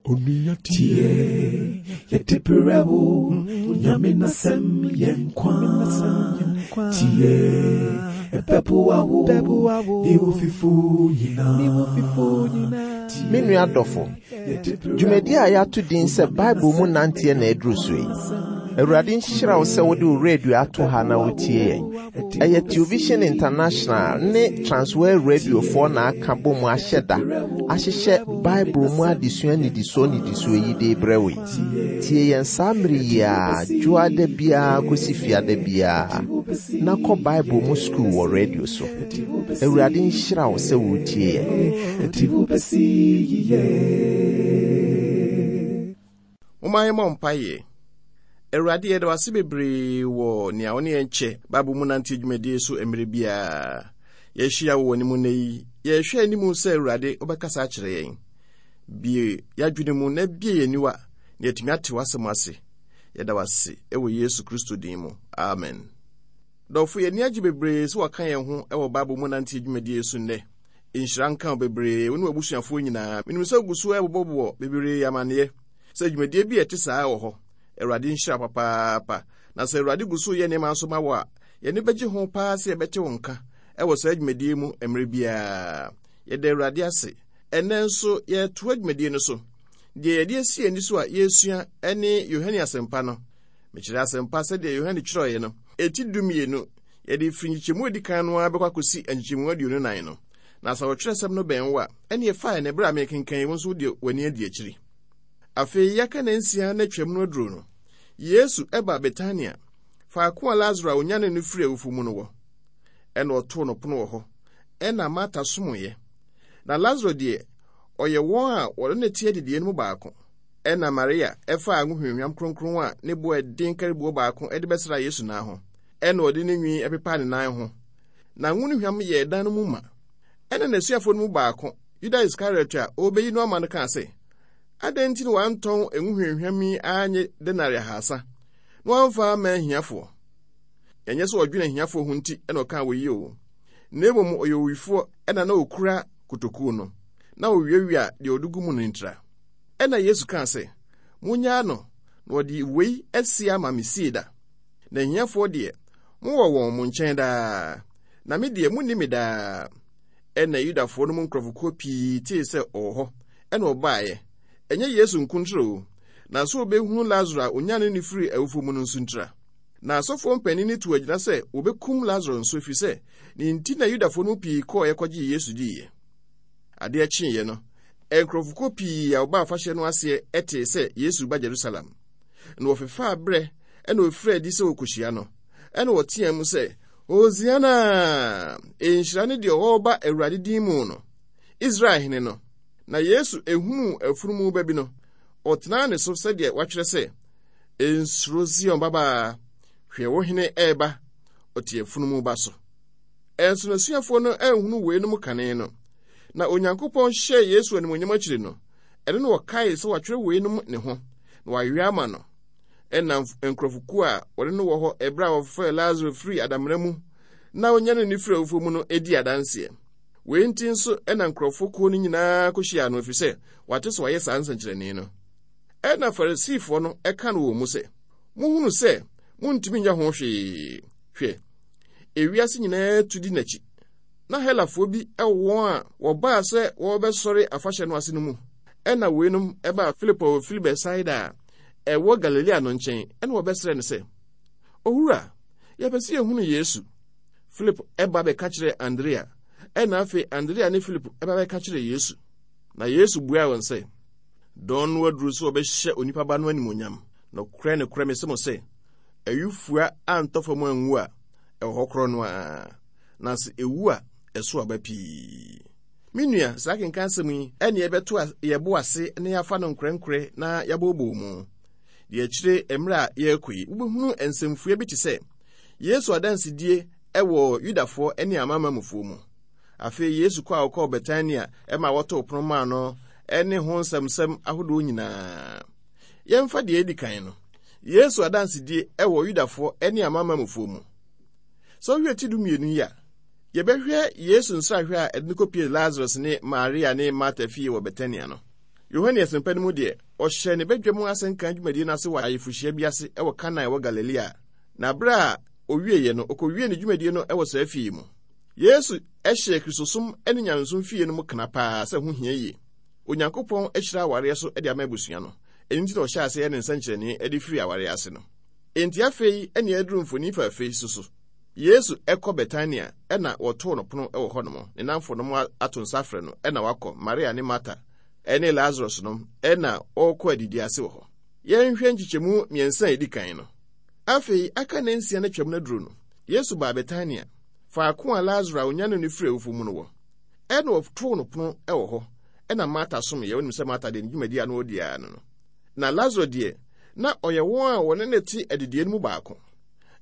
Tie, yɛde berɛ wo, Nyame n'asɛm yɛ nkwa. Tie, ɛbɛboa wo, ne wo fifo nyinaa. Me nua dɔfo, dwumadi a yɛato din sɛ Bible mu nanteɛ na aduru so yi. Awurade nhyira wo sɛ wode wo radio ato ha na wotie yɛn. Ɛyɛ Television International ne Transworld Radiofoɔ na aka bɔ mu ahyɛ da ahyehyɛ Bible mu adesua nnidisoɔ nnidisoɔ yi de rebrɛ wo yi. Tie yɛn saa mmere yi ara, dwoada biara kɔsi fiada biara, na kɔ Bible mu sukuu wɔ radio so. Awurade nhyira wo sɛ woretie yɛn. Momma yɛmmɔ mpaeɛ. Awurade, yɛda wo ase bebree wɔ nea wo ne yɛn kyɛ Bible mu nante dwumadie so mmerɛ biara. Yɛahyia wɔ w'anim nnɛ yi. Yɛrehwɛ anim sɛ Awurade wobɛkasa akyerɛ yɛn. Bie yɛadwene mu na bie yɛn aniwa na yɛatumi ate w'asɛm ase. Yɛda wo ase wɔ Yesu Kristo din mu. Amen. Dɔfo, yɛn ani agye bebree sɛ wɔaka yɛn ho wɔ Bible mu nante dwumadie so nnɛ. Nhyira nka wo bebree, wo ne w'abusuafoɔ nyinaa. Menim sɛ wogu so rebobɔbobɔ bebree amanneɛ sɛ dwumadie bi a ɛte saa wɔ hɔ. Awurade nhyira wo papaapa. Na sɛ Awurade gu so reyɛ nneɛma nso ma wo a, yɛn ani bɛgye ho paa sɛ yɛbɛte wo nka wɔ saa dwumadie mu mmerɛ biara. Yɛda Awurade ase. Ɛnnɛ nso yɛretoa dwumadie no so. Deɛ yɛde asi yɛn ani so a yɛresua ne Yohane Asɛmpa no. Mekyerɛ Asɛmpa sɛdeɛ Yohane twerɛeɛ no, eti dumienu. Yɛde firi nkyekyɛmu a ɛdi kan no ara bɛkɔ akɔsi nkyekyɛmu 24 no. Na sɛ ɔtwerɛsɛm no bɛn wo a, ɛnneɛ fa ɛnnɛ berɛ a merekenkan yi, wo nso wode w'ani adi akyiri. Afei yɛaka nnansia na Twam no aduro no, Yesu baa Betania, faako a Lasaro a ɔnyanee no firii awufo mu no wɔ. Ɛnna ɔtoo no pono wɔ hɔ, ɛnna Marta somoeɛ. Na Lasaro deɛ, ɔyɛ wɔn a wɔne no te adidiiɛ no mu baako. Ɛnna Maria faa ngo hwamhwam kronkron a ne bo yɛ den kariboɔ baako de bɛsraa Yesu nan ho. Ɛnna ɔde ne nwi pepaa ne nan ho, na ngo no hwam yɛɛ dan no mu ma. Ɛnna n'asuafoɔ no mu baako, Yuda Iskariot a ɔrebɛyi no ama no kaa sɛ, Adɛn nti na wɔantɔn ngo hwamhwam yi annye denare ahasa, na wɔamfa amma ahiafoɔ? Ɛnyɛ sɛ ɔdwene ahiafoɔ ho nti na ɔkaa wei oo, na mmom ɔyɛ owifoɔ na na ɔkura kotokuo no, na ɔwiawia deɛ ɔde gu mu no ntira. Ɛnna Yesu kaa sɛ, Monnyaa no, na ɔde wei asie ama me sie da. Na ahiafoɔ deɛ, mowɔ wɔn mo nkyɛn daa, na me deɛ, monni me daa. Ɛnna Yudafoɔ no mu nkurɔfokuo pii tee sɛ ɔwɔ hɔ, ɛnna wɔbaeɛ, ɛnyɛ Yesu nko ntira o, na sɛ wɔbɛhunu Lasaro a ɔnyanee no firii awufoɔ mu no nso ntira. Na asɔfoɔ mpanin no tuu agyina sɛ wɔbɛkum Lasaro nso, ɛfiri sɛ, ne nti na Yudafoɔ no mu pii kɔeɛ kɔgyee Yesu diiɛ. Adeɛ kyeeɛ no, nkurɔfokuo pii a wɔbaa afahyɛ no aseɛ tee sɛ Yesu reba Yerusalem. Na wɔfefaa berɛ na wɔfirii adi sɛ wɔrekɔhyia no. Ɛnna wɔteaam sɛ, Hosiana! Nhyira ne deɛ ɔreba Awurade din mu no, Israel hene no. Na Yesu hunuu afunumu ba bi no, ɔtenaa ne so sɛdeɛ wɔatwerɛ sɛ, Nsuro Sion babaa, hwɛ wo hene reba, ɔte afunumu ba so. Ɛnso n'asuafoɔ no anhunu weinom kane no. Na Onyankopɔn hyɛɛ Yesu animuonyam akyiri no, ɛno na wɔkaee sɛ wɔatwerɛ weinom ne ho, na wɔayɛ ama no. Ɛnna nkurɔfokuo a wɔne no wɔ hɔ ɛberɛ a wɔfrɛɛ Lasaro firii adamena mu na ɔnyanee no firii awufoɔ mu no di adanseɛ. Wei nti nso na nkurɔfokuo no nyinaa kɔhyiaa no, ɛfiri sɛ wɔate sɛ wayɛ saa nsɛnkyerɛnne no. Ɛnna Farisifoɔ no ka no wɔn mu sɛ, Mohunu sɛ montumi nyɛ ho hwee. Hwɛ, ewiase nyinaa tu di n'akyi. Na Helafoɔ bi wɔ wɔn a wɔbaa sɛ wɔrebɛsɔre afahyɛ no ase no mu. Ɛnna weinom baa Filipo a ɔfiri Betsaida a ɛwɔ Galilea no nkyɛn, ɛnna wɔbɛsrɛɛ no sɛ, Owura, yɛpɛ sɛ yɛhunu Yesu. Filipo ba bɛka kyerɛɛ Andrea, ɛnna afei Andrea ne Filipo ba bɛka kyerɛɛ Yesu. Na Yesu buaa wɔn sɛ, Dɔn no aduru sɛ wɔbɛhyɛ onipa Ba no animuonyam. Nokorɛ, nokorɛ, mese mo sɛ, ayufua antɔ fam anwu a, ɛwɔ hɔ korɔ no ara, na sɛ ɛwu a, ɛso aba pii. Me nua, saa akenkan asɛm yi ne yɛbɛto yɛn bo ase na yɛafa no nkorɛnkorɛ na yɛabooboo mu. Deɛ akyire mmerɛ a yɛrekɔ yi, wobɛhunu nsɛmfua bi te sɛ Yesu adansedie wɔ Yudafoɔ ne Amanamanmufoɔ mu. Afei Yesu kɔ a ɔkɔɔ Betania ma wɔtoo pono maa no ne ho nsɛmsɛm ahodoɔ nyinaa. Yɛmfa deɛ ɛdi kan no, Yesu adansedie wɔ Yudafoɔ ne Amanamanmufoɔ mu. Sɛ wohwɛ ti dumienu yi a, Yɛbɛhwɛ Yesu nsrahwɛ a ɛde no kɔpie Lasarus ne Maria ne Marta fie wɔ Betania no. Yohane Asɛmpa no mu deɛ, ɔhyɛɛ ne badwam asɛnka dwumadie no ase wɔ ayeforɔhyia bi ase wɔ Kana a ɛwɔ Galilea. Na berɛ a ɔwieeɛ no, ɔkɔwiee ne dwumadie no wɔ saa fie yi mu. Yesu hyɛɛ Kristosom ne nyamesom fie no mu kena paa sɛ ɛho hia yie. Onyankopɔn ahyira awareɛ so de ama abusua no. Ɛno nti na ɔhyɛɛ aseɛ yɛ ne nsɛnkyerɛnne de firii awareɛ ase no. Enti afei ne aduru mfoni fɛfɛ yi so so. Yesu kɔ Betania na wɔtoo no pono wɔ hɔnom. Ne nnamfonom ato nsa afrɛ no na wakɔ, Maria ne Marta ne Lazarus nom na wɔrekɔ adidi ase wɔ hɔ. Yɛnhwɛ nkyekyɛmu mmiɛnsa a ɛdi kan no. Afei aka nnansia na Twam no aduru no, Yesu baa Betania, faako a Lasaro a onyanee no firii awufo mu no wɔ. Ɛnna wɔtoo no pono wɔ hɔ, ɛnna Marta someeɛ. Wonim sɛ Marta deɛ ne dwumadi a na ɔdi ara no no. Na Lasaro deɛ, na ɔyɛ wɔn a wɔne no te adidiiɛ no mu baako.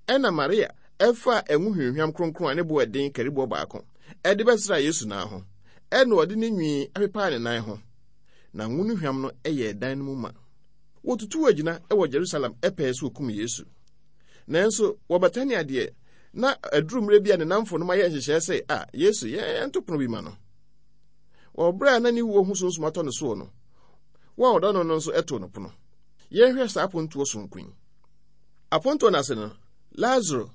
Ɛnna Maria faa ngo hwamhwam kronkron a ne bo yɛ den kariboɔ baako de bɛsraa Yesu nan ho, ɛnna ɔde ne nwi pepaa ne nan ho, na ngo no hwam no yɛɛ dan no mu ma. Wɔtutuu agyina wɔ Jerusalem pɛɛ sɛ wɔkum Yesu. Nanso wɔ Betania deɛ, na aduru mmerɛ bi a ne nnamfonom ayɛ nhyehyɛɛ sɛ, a Yesu, yɛnto pono bi ma no. Wɔ berɛ a na ne wuo ho sunsum atɔ ne soɔ no, wɔn a wɔdɔ no no nso too no pono. Yɛnhwɛ saa apontoɔ sononko yi. Apontoɔ no ase no, Lasaro,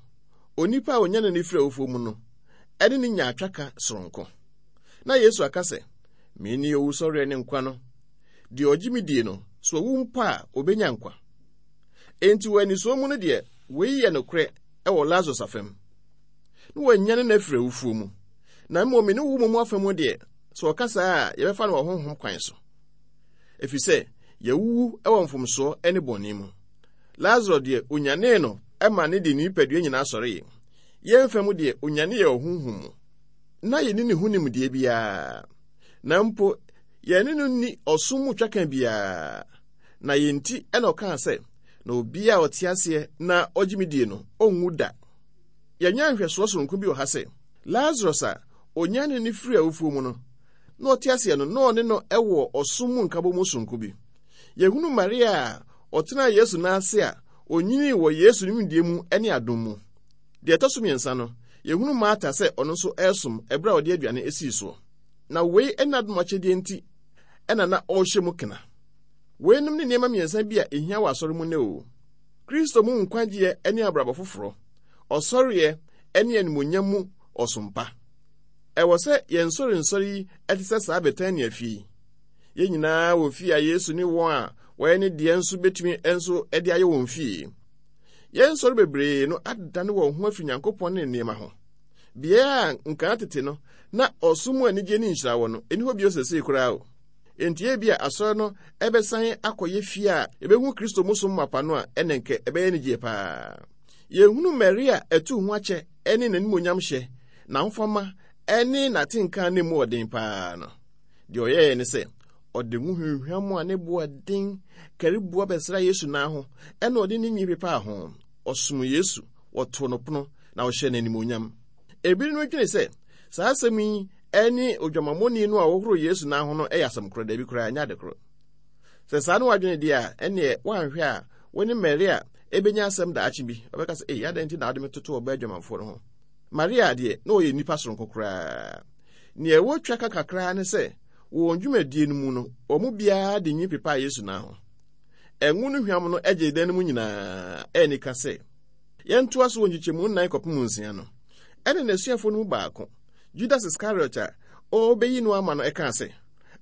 onipa a ɔnyanee no firii awufoɔ mu no, ne no nyaa twaka soronko. Na Yesu aka sɛ, Mene owusɔreɛ ne nkwa no. Deɛ ɔgye me die no, sɛ ɔwu mpo a, ɔbɛnya nkwa. Enti wɔ anisoɔ mu no deɛ, wei yɛ nokorɛ wɔ Lasarus afam. Na wɔanyane no afiri awufoɔ mu. Na mmom me ne wo mmom afa mu deɛ, sɛ ɔka saa a, yɛbɛfa no wɔ honhom kwan so. Ɛfiri sɛ, yɛawuwu wɔ mfomsoɔ ne bɔne mu. Lasaro deɛ, onyanee no ma ne de ne nipadua nyinaa sɔree. Yɛn fa mu deɛ, onyane yɛn wɔ honhom mu. Na yɛnni ne ho nimdeɛ biara. Na mpo, yɛne no nni ɔsom mu twaka biara. Na yɛn nti na ɔkaa sɛ, Na obiara a ɔte aseɛ na ɔgye me die no, ɔnwu da. Yɛanya nhwɛsoɔ soronko bi wɔ ha sɛ, Lasarus a onyanee no firii awufoɔ mu no, na ɔte aseɛ no, na ɔne no wɔ ɔsom mu nkabɔmu soronko bi. Yɛhunu Maria a ɔtenaa Yesu nan ase a ɔnyinii wɔ Yesu nimdeɛ mu ne adom mu. Deɛ ɛtɔ so mmiɛnsa no, yɛhunu Marta sɛ ɔno nso resom ɛberɛ a ɔde aduane sii soɔ. Na wei ne n'adom akyɛdeɛ nti na na ɔrehyɛ mu kena. Weinom ne nneɛma mmiɛnsa bi a ɛhia wɔ asɔre mu nnɛ o. Kristo mu nkwagyeɛ ne abrabɔ foforɔ, ɔsɔreɛ ne animuonyam mu ɔsom pa. Ɛwɔ sɛ yɛn nsɔrensɔre yi te sɛ saa Betania fie yi. Yɛn nyinaa wɔ fie a Yesu ne wɔn a wɔyɛ ne deɛ nso betumi nso de ayɛ wɔn fie. Yɛn nsɔre bebree no adane wɔn ho afiri Nyankopɔn ne ne nneɛma ho. Beae a nkan tete no na ɔsom mu anigye ne nhyira wɔ no, ɛni hɔ bio seesei koraa o. Enti ebia asɔre no bɛsan akɔyɛ fie a yɛbɛhu Kristo mu som mapa no a, ɛnna nka ɛbɛyɛ anigyeɛ paa. Yɛhunu Maria atuu ho akyɛ ne n'animuonyamhyɛ, n'ahofama ne n'atenka a na emu wɔ den paa no. Deɛ ɔyɛeɛ ne sɛ, ɔde ngo hwamhwam a ne bo yɛ den kari boa bɛsraa Yesu nan ho, ɛnna ɔde ne nwi pepaa ho. Ɔsom Yesu, wɔtoo no pono, na ɔhyɛɛ no animuonyam. Ebinom dwene sɛ saa asɛm yi ne odwamammɔni no a ɔhohoroo Yesu nan ho no yɛ asɛm korɔ. Dabi koraa, ɛnyɛ ade korɔ. Sɛ saa ne w'adwene deɛ a, ɛnneɛ woanhwɛ a, wo ne Maria ɛbɛnya asɛm daakye bi. Ɔbɛka sɛ, ei, adɛn nti na wode me toto ɔbaa adwamanfoɔ no ho? Maria deɛ, na ɔyɛ nnipa soronko koraa. Nea ɛwɔ twa ka kakraa ne sɛ, wɔ wɔn dwumadie no mu no, wɔn mu biara de nwi pepaa Yesu nan ho. Ɛngo no hwam no gyee dan no mu nyinaa. Ɛyɛ anika sɛ, yɛntoa so wɔ nkyekyɛmu nnan kɔpem nsia no. Ɛnna n'asuafoɔ no mu baako, Judas Iskariot a ɔrebɛyi no ama no kaa sɛ,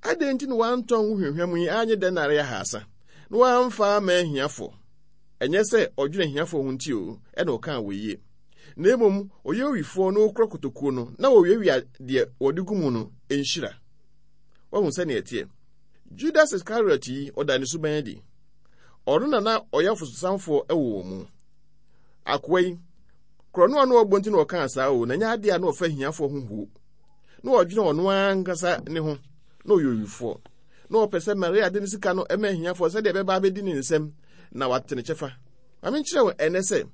Adɛn nti na wɔantɔn ngo hwamhwam yi annye denare ahaasa, na wɔamfa amma ahiafoɔ? Ɛnyɛ sɛ ɔdwene ahiafoɔ ho nti o, ɛna ɔkaa wei yie. Na mmom ɔyɛ owifoɔ na ɔkura kotokuo no, na ɔwiawia deɛ wɔde gu mu no nhyira. Wahu sɛnea ɛteɛ? Judas Iskariot yi, ɔda ne suban adi. Ɔno na na ɔyɛ ɔfososanfoɔ wɔ wɔn mu. Akoa yi, korɔno a na ɔbɔ nti na ɔkaa saa o, na ɛnyɛ adeɛ a na ɔfa ahiafoɔ ho huo. Na ɔdwene ɔno ankasa ne ho, na ɔyɛ owifoɔ. Na ɔpɛ sɛ Maria de ne sika no ma ahiafoɔ sɛdeɛ ɛbɛba abɛdi ne nsam na wate ne kyɛfa. Ma menkyerɛ wo ɛnnɛ sɛ,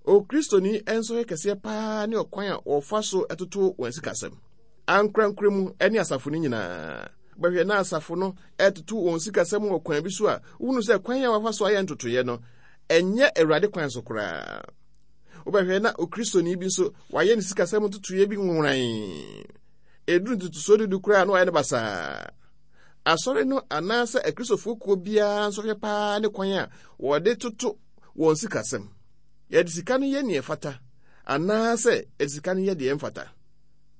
Okristoni nsɔhwɛ kɛseɛ paa ne ɔkwan a wɔfa so toto wɔn sikasɛm. Ankorankoro mu ne asafo no nyinaa. Bɛhwɛ na asafo no ɛtoto wɔn sikasɛm wɔ kwan bi so a wohunu sɛ kwan a wɔafa so ayɛ ntotoeɛ no, ɛnyɛ Awurade kwan so koraa. Wobɛhwɛ na Okristoni bi nso wayɛ ne sikasɛm ntotoeɛ bi nworan. Ɛduru ntotosoɔ dudu koraa na wayɛ no basaa. Asɔre no anaasɛ Akristofoɔ kuo biara nsɔhwɛ paa ne kwan a wɔde toto wɔn sikasɛm. Yɛde sika no yɛ nea ɛfata anaasɛ yɛde sika no yɛ deɛ ɛmfata.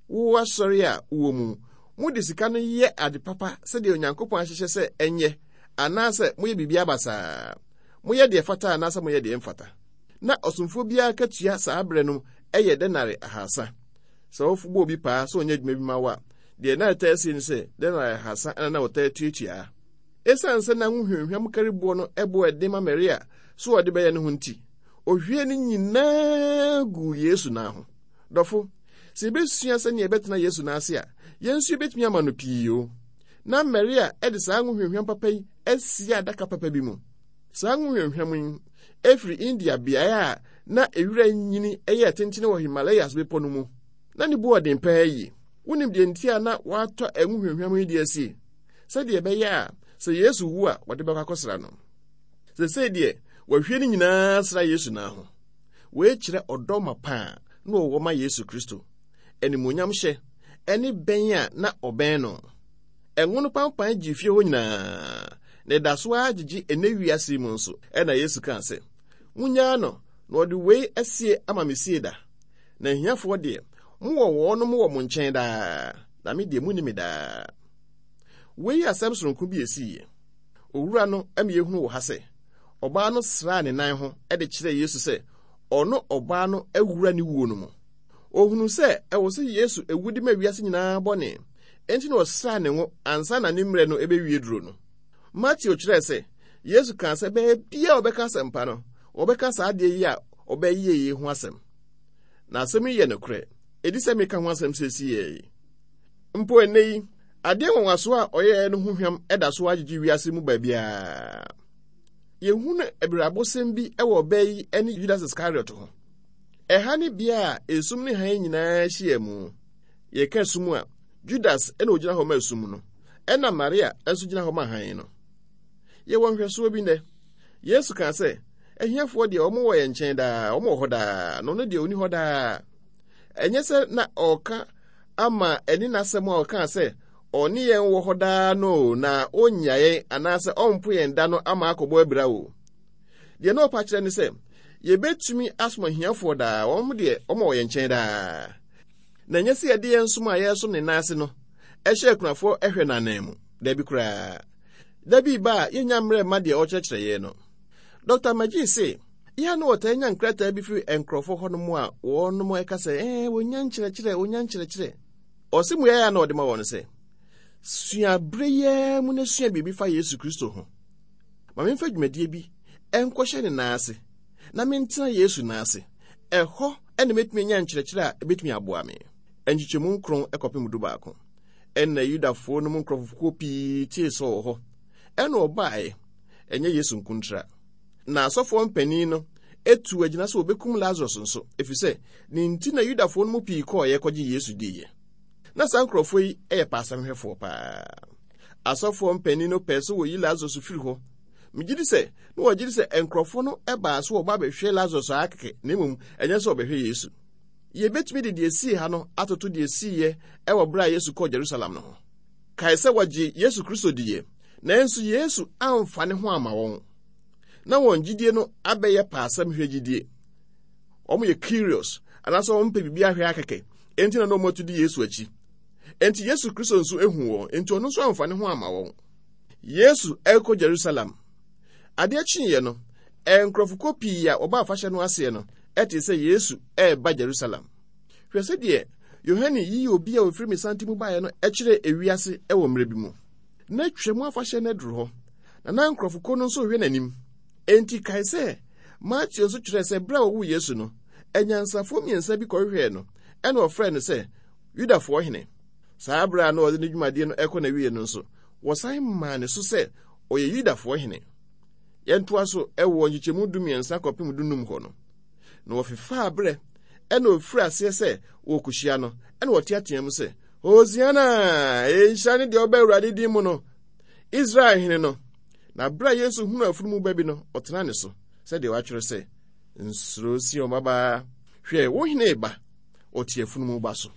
Wo asɔre a wowɔ mu, mode sika no yɛ ade papa sɛdeɛ Onyankopɔn ahyehyɛ sɛ ɛnyɛ anaasɛ moyɛ biribiara basaa. Moyɛ deɛ ɛfata anaasɛ moyɛ deɛ ɛmfata. Na ɔsomfoɔ biara katua saa berɛ no yɛ denare ahasa. Sɛ wobɔ obi paa sɛ ɔnyɛ adwuma bi ma wo a, deɛ na ɛtaa sie ne sɛ denare ahasa na na wɔtaa tuatua. Esiane sɛ na ngo hwamhwam kari boɔ no bo yɛ den ma Maria sɛ ɔde bɛyɛ ne ho nti, ɔhwiee ne nyinaa guu Yesu nan ho. Dɔfo, sɛ yɛbɛsua sɛnea yɛbɛtena Yesu nan ase a, yɛn nso yɛbɛtumi ama no pii o. Ná Maria de saa ngo hwamhwam papa yi asie adaka papa bi mu. Saa ngo hwamhwam yi firi India beae a na ewira nyini yɛ tentene wɔ Himalayas bepɔ no mu. Na ne bo yɛ den paa yie. Wonim deɛ nti a na wɔatɔ ngo hwamhwam yi de asie? Sɛdeɛ ɛbɛyɛ a sɛ Yesu wu a wɔde bɛkɔ akɔsra no. Seesei deɛ wɔahwie ne nyinaa sra Yesu nan ho. Wei kyerɛ ɔdɔ mapa a na wɔwɔ ma Yesu Kristo, animuonyamhyɛ, ne bɛn a na ɔbɛn no. Ɛngo no pampan gyee fie hɔ nyinaa, na ɛda so ara gyegye ɛnnɛ wiase yi mu nso. Ɛnna Yesu kaa sɛ, Munnyaa no, na ɔde wei asie ama me sie da. Na ahiafoɔ deɛ, mowɔ wɔnom wɔ mo nkyɛn daa, na me deɛ munni me daa. Wei yɛ asɛm soronko bi a esiiɛ. Owura no ma yɛhunu wɔ ha sɛ, ɔbaa no sraa ne nan ho de kyerɛɛ Yesu sɛ ɔno ɔbaa no awura ne wuo no mu. Ɔhunuu sɛ ɛwɔ sɛ Yesu wu de ma wiase nyinaa bɔne, enti na ɔsraa ne ngo ansa na ne mmerɛ no bɛwie duro no. Mateo kyerɛɛ sɛ Yesu kaa sɛ baabiara a wɔbɛka asɛmpa no, wɔbɛka saa adeɛ yi a ɔbɛyɛ yi ho asɛm. Na asɛm yi yɛ nokorɛ, ɛdi sɛ meka ho asɛm seesei yi. Mpo ɛnnɛ yi, adeɛ nwanwasoɔ a ɔyɛeɛ no ho hwam da so ara gyegye wiase mu baabiara. Yɛhunu abirabɔsɛm bi wɔ ɔbaa yi ne Judas Iskariot ho. Ɛha ne bea a esum ne hann nyinaa hyia mu. Yɛka sum a, Judas na ogyina hɔ ma sum no, ɛna Maria nso gyina hɔ ma hann no. Yɛwɔ nhwɛsoɔ bi nnɛ. Yesu kaa sɛ, ahiafoɔ deɛ wɔn wɔ yɛn nkyɛn daa, wɔn wɔ hɔ daa, na ɔno deɛ ɔni hɔ daa. Ɛnyɛ sɛ na ɔreka ama ɛne n'asɛm a ɔkaa sɛ ɔne yɛn wɔ hɔ daa no o, na ɔnnya yɛn anaasɛ ɔmpo yɛn da no ama akɔbɔ abira o. Deɛ na ɔpa kyerɛ ne sɛ, yɛbɛtumi asom ahiafoɔ daa, wɔn deɛ wɔn wɔ yɛn nkyɛn daa. Na ɛnyɛ sɛ yɛde yɛn som a yɛresom ne nan ase no hyɛ akunafoɔ hwɛ no anan mu. Dabi koraa. Da bi ba a yɛnnya mmerɛ mma deɛ ɔrekyerɛkyerɛ yɛn no. Dɔkta McGee se, yɛ a na wɔtaa nya nkrataa bi firi nkurɔfoɔ hɔnom a wɔnom ɛka sɛ, ɛɛ, wɔnya nkyerɛkyerɛ, wɔnya nkyerɛkyerɛ. Ɔse mmuaeɛ a na ɔde ma wɔn sɛ, sua berɛ yi ara mu na sua biribi fa Yesu Kristo ho. Ma memfa dwumadie bi nkɔhyɛ ne nan ase na mentena Yesu nan ase. Ɛhɔ na mɛtumi anya nkyerɛkyerɛ a ɛbɛtumi aboa me. Nkyekyɛmu nkron kɔpem dubaako. Ɛnna Yudafoɔ no mu nkurɔfokuo pii tee sɛ ɔwɔ hɔ. Ɛnna wɔbaeɛ, ɛnyɛ Yesu nko ntira. Na asɔfoɔ mpanin no tuu agyina sɛ wɔbɛkum Lasarus nso, ɛfiri sɛ ne nti na Yudafoɔ no mu pii kɔeɛ kɔgye Yesu diiɛ. Na saa nkurɔfoɔ yi yɛ paasɛmhwɛfoɔ paa. Asɔfoɔ mpanin no pɛɛ sɛ wɔyi Lasarus firi hɔ. Megye di sɛ na wɔgye di sɛ nkurɔfoɔ no baa so wɔba abɛhwɛ Lasarus ara kɛkɛ, na mmom ɛnyɛ sɛ wɔbɛhwɛ Yesu. Yɛbɛtumi de deɛ esii ha no atoto deɛ esiiɛ wɔ berɛ a Yesu kɔɔ Jerusalem no ho. Kae sɛ wɔgye Yesu Kristo diiɛ, nanso Yesu amfa ne ho amma wɔn. Na wɔn gyidie no abɛyɛ paasɛm hwɛ gyidie. Wɔn yɛ curious, anaasɛ wɔn pɛ biribi ahwɛ akɛkɛ, enti na na wɔn atu di Yesu akyi. Enti Yesu Kristo nso ehu wɔn, enti ɔno nso amfa ne ho amma wɔn. Yesu rekɔ Jerusalem. Adeɛ kyeeɛ no, nkurɔfokuo pii a wɔba afahyɛ no aseɛ no tee sɛ Yesu reba Jerusalem. Hwɛ sɛdeɛ Yohane yii obi a ɔfiri mesante mu baeɛ no kyerɛɛ ewiase wɔ mmerɛ bi mu. Na Twam afahyɛ no aduru hɔ, na na nkurɔfokuo no nso rehwɛ n'anim. Enti kae sɛ Mateo nso kyerɛɛ sɛ berɛ a wɔwoo Yesu no, anyansafoɔ mmiɛnsa bi kɔhwehwɛɛ no, ɛna wɔfrɛɛ no sɛ Yudafoɔ hene. Saa berɛ a na ɔde ne dwumadie no rekɔ n'awieɛ no nso, wɔsan maa ne so sɛ ɔyɛ Yudafoɔ hene. Yɛntoa so wɔ nkyekyɛmu dumiɛnsa kɔpem dunum hɔ no. Na wɔfefaa berɛ, ɛna ɔfiri aseɛ sɛ wɔrekɔhyia no, ɛna wɔteatea mu sɛ, Hosiana! Nhyira ne deɛ ɔba Awurade din mu no, Israel hene no. Na berɛ a Yesu hunu afunumu ba bi no, ɔtena ne so, sɛdeɛ wɔatwerɛ sɛ, Nsuro Sion babaa, hwɛ, wo hene reba, ɔte afunumu ba so.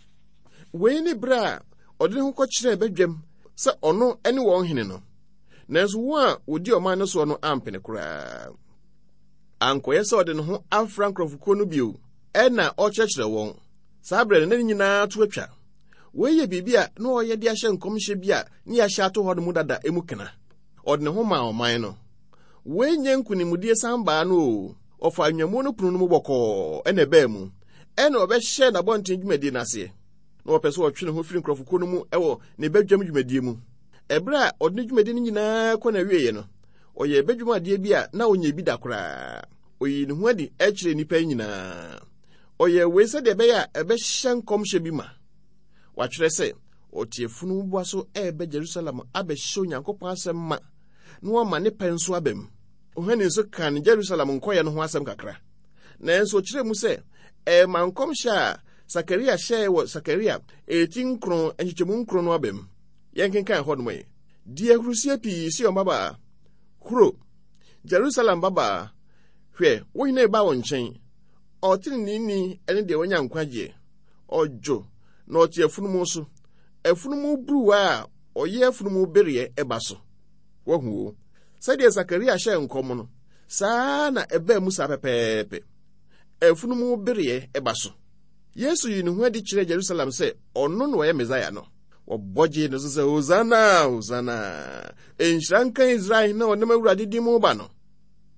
Wei ne berɛ a ɔde ne ho kɔkyerɛɛ badwam. sɛ ɔno ne wɔn hene no. Nanso wɔn a wɔdi ɔman no soɔ no ampene koraa. Ankɔyɛ sɛ ɔde ne ho afra nkurɔfokuo no bio ɛna ɔkyerɛkyerɛ wɔn. Saa berɛ no na ne nyinaa to atwa. Wei yɛ biribi a na ɔyɛ de ahyɛ nkɔmhyɛ bi a ne yɛahyɛ ato hɔ no mu dada mu kena. Ɔde ne ho maa ɔman no. Wei nyɛ nkonimdie san baa no o. Ɔfaa nnwammuo no pono no mu bɔkɔɔ ɛna ɛbaa mu. Ɛna ɔbɛhyɛɛ n'abɔnten dwumadie no aseɛ. Na ɔpɛ sɛ ɔtwe ne ho firi nkurɔfokuo no mu wɔ ne badwam dwumadie mu. Ɛberɛ a ɔde ne dwumadie no nyinaa kɔ n'awieeɛ no, ɔyɛɛ badwam adeɛ bi a na ɔnyɛ bi da koraa. Ɔyii ne ho adi kyerɛɛ nnipa yi nyinaa. Ɔyɛɛ wei sɛdeɛ ɛbɛyɛ a ɛbɛhyɛ nkɔmhyɛ bi ma. Wɔatwerɛ sɛ, ɔte afunumu so reba Jerusalem abɛhyɛ Onyankopɔn asɛm ma na wama ne pɛ nso aba mu. Yohane nso kaa ne Jerusalem nkɔyɛ no ho asɛm kakra. Nanso ɔkyerɛɛ mu sɛ ɛrema nkɔmhyɛ a Sakaria hyɛe wɔ Sakaria eti nkron nkyekyɛmu nkron no aba mu. Yɛnkenkan hɔnom yi. Di ahurusie pii, Sion babaa. Huro, Jerusalem babaa. Hwɛ, wo hene reba wo nkyɛn. Ɔteneneeni ne deɛ wanya nkwagyeɛ. Ɔdwo, na ɔte afunumu so, afunumu buruwa a ɔyɛ afunumu bereɛ ba so. Wahu o. Sɛdeɛ Sakaria hyɛɛ nkɔm no, saa na ɛbaa mu saa pɛpɛɛpɛ. Afunumu bereɛ ba so. Yesu yii ne ho adi kyerɛɛ Jerusalem sɛ ɔno na ɔyɛ Mesaia no. Wɔbɔ gyee no so sɛ, Hosana, Hosana! Nhyira nka Israel hene a ɔnam Awurade din mu ba no.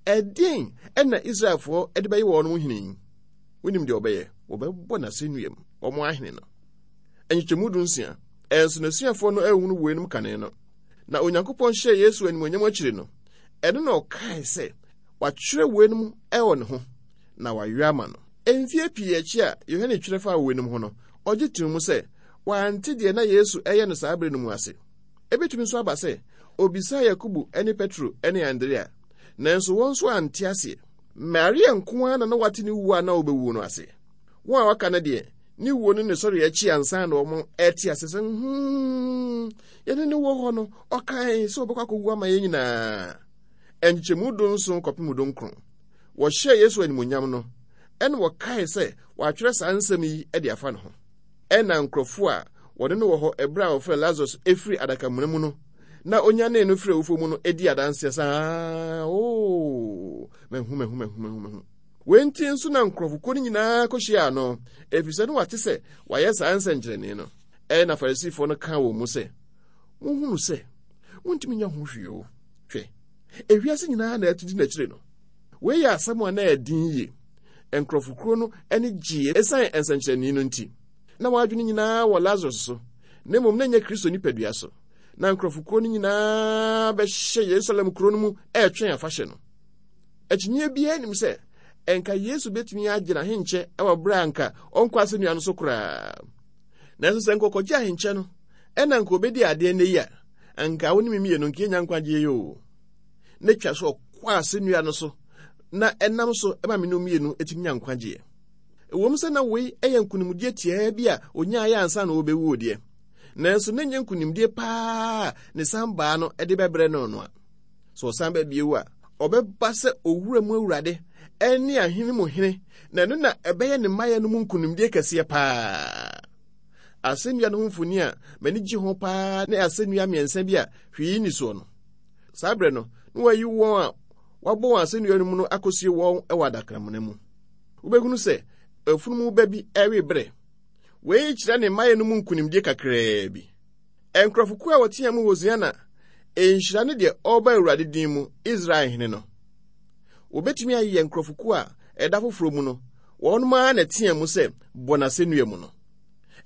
Ɛdeɛn na Israelfoɔ de bɛyɛ wɔn hene yi? Wonim deɛ wɔbɛyɛ? Wɔbɛbɔ n'asɛnnua mu, wɔn ahene no. Nkyekyɛmu dunsia. Ɛnso n'asuafoɔ no anhunu weinom kane no. Na Onyankopɔn hyɛɛ Yesu animuonyam akyiri no, ɛno na ɔkae sɛ wɔatwerɛ weinom wɔ ne ho, na wɔayɔ ama no. Mfeɛ pii akyi a Yohane twerɛ faa weinom ho no, ɔgye too mu sɛ wante deɛ na Yesu ɛyɛ no saa berɛ no mu ase. Ebetumi nso aba sɛ obisaa Yakobo ne Petro ne Andrea, nanso wɔn nso ante aseɛ. Maria nko ara na na wate ne wuo a na ɔbɛwuo no ase. Wɔn a wɔaka no deɛ, ne wuo ne ne sɔre akyi ansa na wɔn ɛte ase sɛ, hmm, yɛne ne wɔ hɔ no, ɔkae sɛ ɔbɛkɔ akɔwu ama yɛn nyinaa. Nkyekyɛmu dunson kɔpem dunkron. Wɔhyɛɛ Yesu animuonyam no, ɛna wɔkae sɛ wɔatwerɛ saa nsɛm yi de afa ne ho. Ɛna nkurɔfoɔ a wɔne no wɔ hɔ ɛberɛ a wɔfrɛ Lazarus firi adakamena mu no na onyanee no firi awufoɔ mu no di adanseɛ sɛ, Oo, mahu, mahu, mahu, mahu, mahu. Wei nti nso na nkurɔfokuo no nyinaa kɔhyiaa no, ɛfiri sɛ na wɔate sɛ wayɛ saa nsɛnkyerɛnne no. Ɛnna Farisifoɔ no kaa wɔn mu sɛ, Mohunu sɛ montumi nyɛ ho hwee o. Hwɛ, ewiase nyinaa na ɛto di n'akyire no. Wei yɛ asɛm a na ɛyɛ den yie. Nkurɔfokuo no ani gyee ɛsiane nsɛnkyerɛnne no nti. Na wɔn adwene nyinaa wɔ Lazarus so, na mmom na ɛnyɛ Kristo nipadua so. Na nkurɔfokuo no nyinaa bɛhyɛ Yerusalem kuro no mu ɛretwɛn afahyɛ no. Akyinnyeɛ biara nnim sɛ ɛnka Yesu bɛtumi agye n'ahenkyɛ wɔ berɛ a anka ɔnkɔ asɛnnua no so koraa. Nanso sɛ nka ɔkɔgye ahenkyɛ no ɛna nka ɔbɛdi adeɛ nnɛ yi a, anka wo ne me mmienu nka yɛnya nkwagyeɛ yi o. Na twa so ɔkɔ asɛnnua no so na ɛnam so ma me ne mmienu tumi nya nkwagyeɛ. Ɛwom sɛ na wei yɛ nkonimdie tiaa bi a ɔnyaeɛ ansa na ɔrebɛwuo deɛ, nanso na ɛnyɛ nkonimdie paa a ne san baa no de bɛbrɛ no no a. Sɛ ɔsan ba bio a, ɔbɛba sɛ owura mu awurade ne ahene mu hene, na ɛno na ɛbɛyɛ ne mmaeɛ no mu nkonimdie kɛseɛ paa. Asɛnnua no ho mfoni a m'ani gye ho paa ne asɛnnua mmiɛnsa bi a hwee nni soɔ no. Saa berɛ no, na wɔayi wɔn a wɔabɔ wɔn asɛnnua no mu no akɔsie wɔn wɔ adakramena mu. Wobɛhunu sɛ afunumu ba bi rewe berɛ. Wei kyerɛ ne mmaeɛ no mu nkonimdie kakraa bi. Nkurɔfokuo a wɔteaa mu Hosiana, nhyira ne deɛ ɔreba Awurade din mu, Israel hene no. Wɔbɛtumi ayeyɛ nkurɔfokuo a ɛda foforɔ mu no, wɔnom ara na ɛteaa mu sɛ bɔ n'asɛnnua mu no.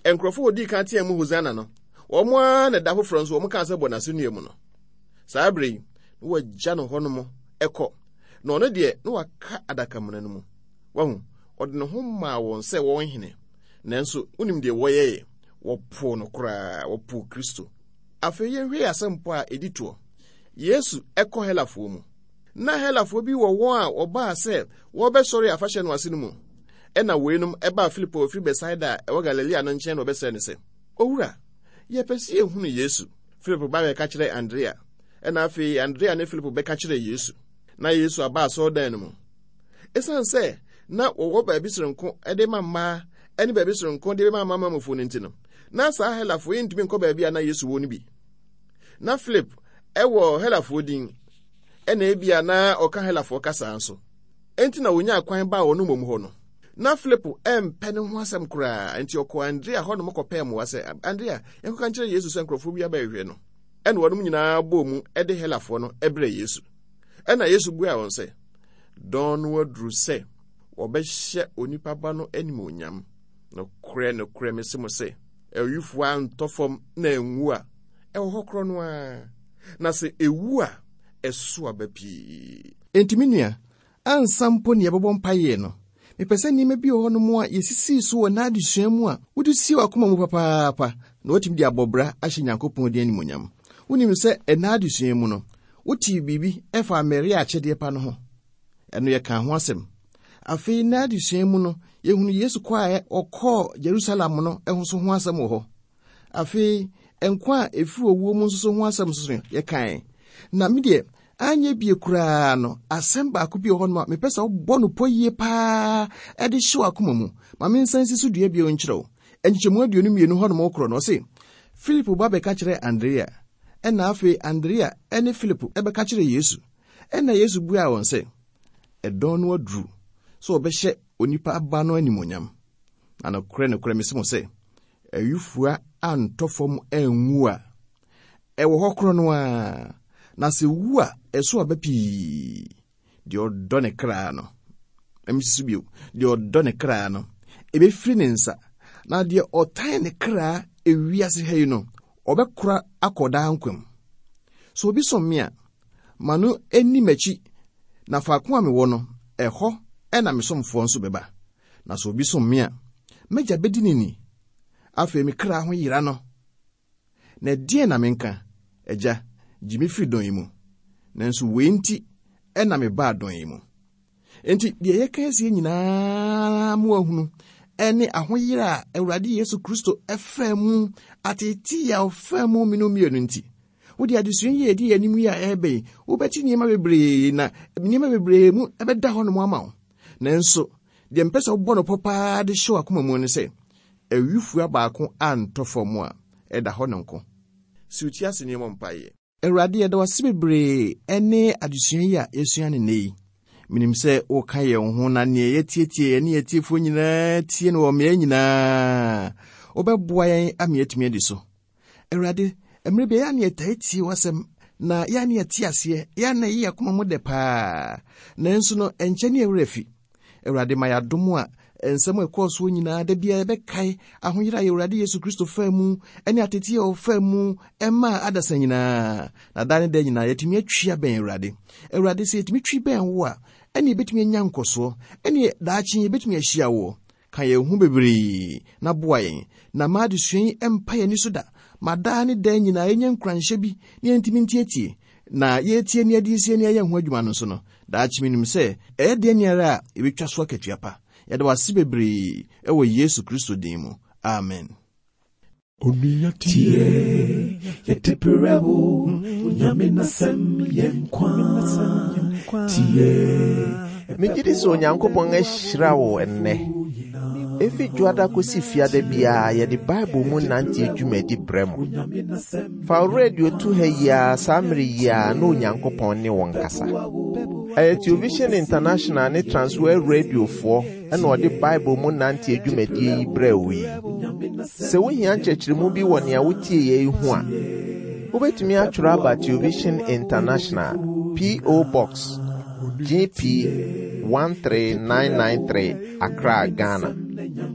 Nkurɔfoɔ a wɔdii kan teaa mu Hosiana no, wɔn ara na ɛda foforɔ nso wɔn kaa sɛ bɔ n'asɛnnua mu no. Saa berɛ yi, na wɔagya no hɔnom kɔ, na ɔno deɛ na waka adakamena no mu. Wahu, ɔde ne ho maa wɔn sɛ wɔn hene, nanso wonim deɛ wɔyɛeɛ? Wɔpoo no koraa, wɔpoo Kristo. Afei yɛnhwɛ yɛn asɛmpɔ a ɛdi toɔ. Yesu kɔ Helafoɔ mu. Na Helafoɔ bi wɔ wɔn a wɔbaa sɛ wɔrebɛsɔre afahyɛ no ase no mu. Ɛnna weinom baa Filipo a ɔfiri Betsaida a ɛwɔ Galilea no nkyɛn na wɔbɛsrɛɛ no sɛ, Owura, yɛpɛ sɛ yɛhunu Yesu. Filipo ba bɛka kyerɛɛ Andrea, ɛnna afei Andrea ne Filipo bɛka kyerɛɛ Yesu. Na Yesu aba asɔredan no mu. Esiane sɛ na wɔwɔ baabi soronko de ma mmaa ne baabi soronko de ma amanamanmufo no nti no, na saa Helafo yi ntumi nkɔ baabi a na Yesu wɔ no bi. Na Philip wɔ Helafoɔ din, ɛna ebia na ɔka Helafoɔ kasa nso. Enti na wɔnyaa kwan baa wɔn mmom hɔ no. Na Philip mpɛ ne ho asɛm koraa, enti ɔkɔɔ Andrea hɔnom kɔpɛɛ mmoa sɛ, Andrea, yɛnkɔka nkyerɛ Yesu sɛ nkurɔfoɔ bi abɛhwehwɛ no. Ɛna wɔnom nyinaa bɔɔ mu de Helafoɔ no brɛɛ Yesu. Ɛna Yesu buaa wɔn sɛ, Dɔn no aduru sɛ wɔbɛhyɛ onipa ba no animuonyam. Nokorɛ, nokorɛ, mese mo sɛ, awifua antɔ fam na anwu a, ɛwɔ hɔ korɔ no ara, na sɛ ɛwu a, ɛso aba pii. Enti me nua, ansa mpo na yɛbɛbɔ mpaeɛ no, mepɛ sɛ nneɛma bi wɔ hɔnom a yɛsisii so wɔ n'adesua mu a wode sie w'akoma mu papaapa na woatumi de abɔ bra ahyɛ Nyankopɔn din animuonyam. Wonim sɛ ɛnnɛ adesua mu no, wotee biribi faa Maria akyɛdeɛ pa no ho. Ɛno yɛkaa ho asɛm. Afei nnɛ adesua mu no, yɛhunu Yesu kɔ a ɔkɔɔ Jerusalem no ho so ho asɛm wɔ hɔ. Afei nkwa a ɛfiri owuo mu nso so ho asɛm nso so yɛkae. Na me deɛ, anyɛ bie koraa no, asɛm baako bi wɔ hɔnom a mepɛ sɛ wobɔ no pɔ yie paa de hyɛ w'akoma mu. Ma mensan nsi so dua bio nkyerɛ wo. Nkyekyɛmu 22 hɔnom korɔ no, ɔse, Filipo ba bɛka kyerɛɛ Andrea, ɛnna afei Andrea ne Filipo bɛka kyerɛɛ Yesu. Ɛnna Yesu buaa wɔn sɛ, Ɛdɔn no aduru sɛ wɔbɛhyɛ onipa Ba no animuonyam. Na nokorɛ nokorɛ mese mo sɛ, ayufua antɔ fam anwu a, ɛwɔ hɔ korɔ no ara, na sɛ wu a, ɛso aba pii. Deɛ ɔdɔ ne kra no, ɛmesi so bio, deɛ ɔdɔ ne kra no, ɛbɛfiri ne nsa, na deɛ ɔtan ne kra ewiase ha yi no, ɔbɛkora akɔ daa nkwa mu. Sɛ obi som me a, ma no nni m'akyi, na faako a mewɔ no, ɛhɔ na me somfoɔ nso bɛba. Na sɛ obi som me a, m'agya bɛdi no ni. Afei me kra ho yera no. Na ɛdeɛn na menka? Agya, gye me firi dɔn yi mu. Nanso wei nti na mebaa dɔn yi mu. Enti deɛ yɛka asie nyinaa mo ahunu ne ahoyera a Awurade Yesu Kristo faa mu, ateetee a ɔfaa mu mene mmienu nti. Wode adesua yi a ɛdi yɛn anim yi a ɛreba yi, wobɛte nneɛma bebree na nneɛma bebree mu ɛbɛda hɔnom ama wo. Nanso, deɛ mpɛ sɛ wobɔ no pɔ paa de hyɛ w'akoma mu ne sɛ, awifua baako antɔ fam a, ɛda hɔ no nko. Si wo ti ase na yɛmmɔ mpaeɛ. Awurade, yɛda wo ase bebree ne adesua yi a yɛasua no nnɛ yi. Menim sɛ woka yɛn ho na nea yɛatietie yɛne yɛn atiefoɔ nyinaa tie no wɔ mmeae nyinaa. Wobɛboa yɛn ama yɛatumi adi so. Awurade, mmerɛ bi ɛyɛ a na yɛtaa tie w'asɛm na yɛ a na yɛte aseɛ, yɛ a na ɛyɛ yɛn akoma mu dɛ paa. Nanso no, ɛnkyɛ ne yɛn werɛ afi. Awurade, ma yɛn adom a nsɛm a ɛkɔɔ soɔ nyinaa da biara yɛbɛkae ahoyera a Awurade Yesu Kristo faa mu ne ateteɛ a ɔfaa mu maa adasa nyinaa. Na daa ne daa nyinaa yɛatumi atwi abɛn Awurade. Awurade, sɛ yɛtumi twi bɛn wo a, ɛne yɛbɛtumi anya nkɔsoɔ, ɛne daakye yɛbɛtumi ahyia woɔ. Ka yɛn ho bebree na boa yɛn, na ma adesua yi mpa yɛn ani so da, ma daa ne daa nyinaa yɛnya nkuranhyɛ bi na yɛntumi ntietie, na yɛretie ne yɛde resie ne yɛayɛ ho adwuma no nso no, daakye menim sɛ ɛyɛ deɛ ara a yɛbɛtwa so akatua pa. Yɛda wo ase bebree wɔ Yesu Kristo din mu. Amen. Onua tie, yɛde brɛ wo, Onyame n'asɛm yɛ nkwa. Tie. Megye di sɛ Onyankopɔn ahyira wo ɛnnɛ. Efi Dwoada kosi Fiada biara yɛde Bible mu nante dwumadi brɛ mo. Fa wo radio to ha yi ara saa mmere yi ara na Onyankopɔn ne wo nkasa. Ɛyɛ Television International ne Transworld Radiofoɔ na ɔde Bible mu nante dwumadie yi brɛɛ wo yi. Sɛ wohia nkyerɛkyerɛmu bi wɔ nea wotieeɛ yi ho a, wobɛtumi atwerɛ aba Television International, P.O. Box, GP 13993, Accra, Ghana.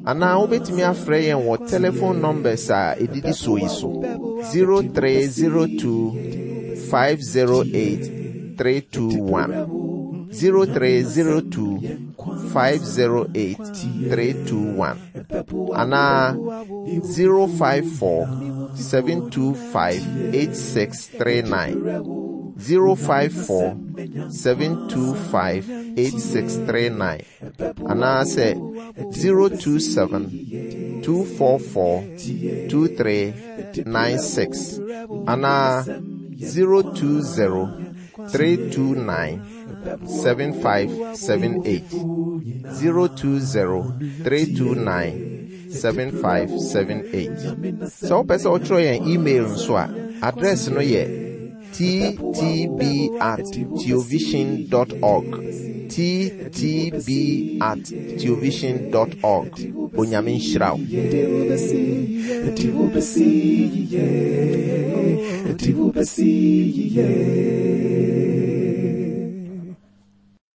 Anaa wobɛtumi afrɛ yɛn wɔ telephone numbers a ɛdidi soɔ yi so 0302 508 321 0302 508 321 anaa 054 725 8639 054 725 8639 anaasɛ 027 244 2396 anaa 020 329 7578 020 329 7578. Sɛ wopɛ sɛ wotwerɛ yɛn email nso a, Adrɛs no yɛ ttb at theovision dot org. Ttb at theovision dot org. Onyame nhyira wo.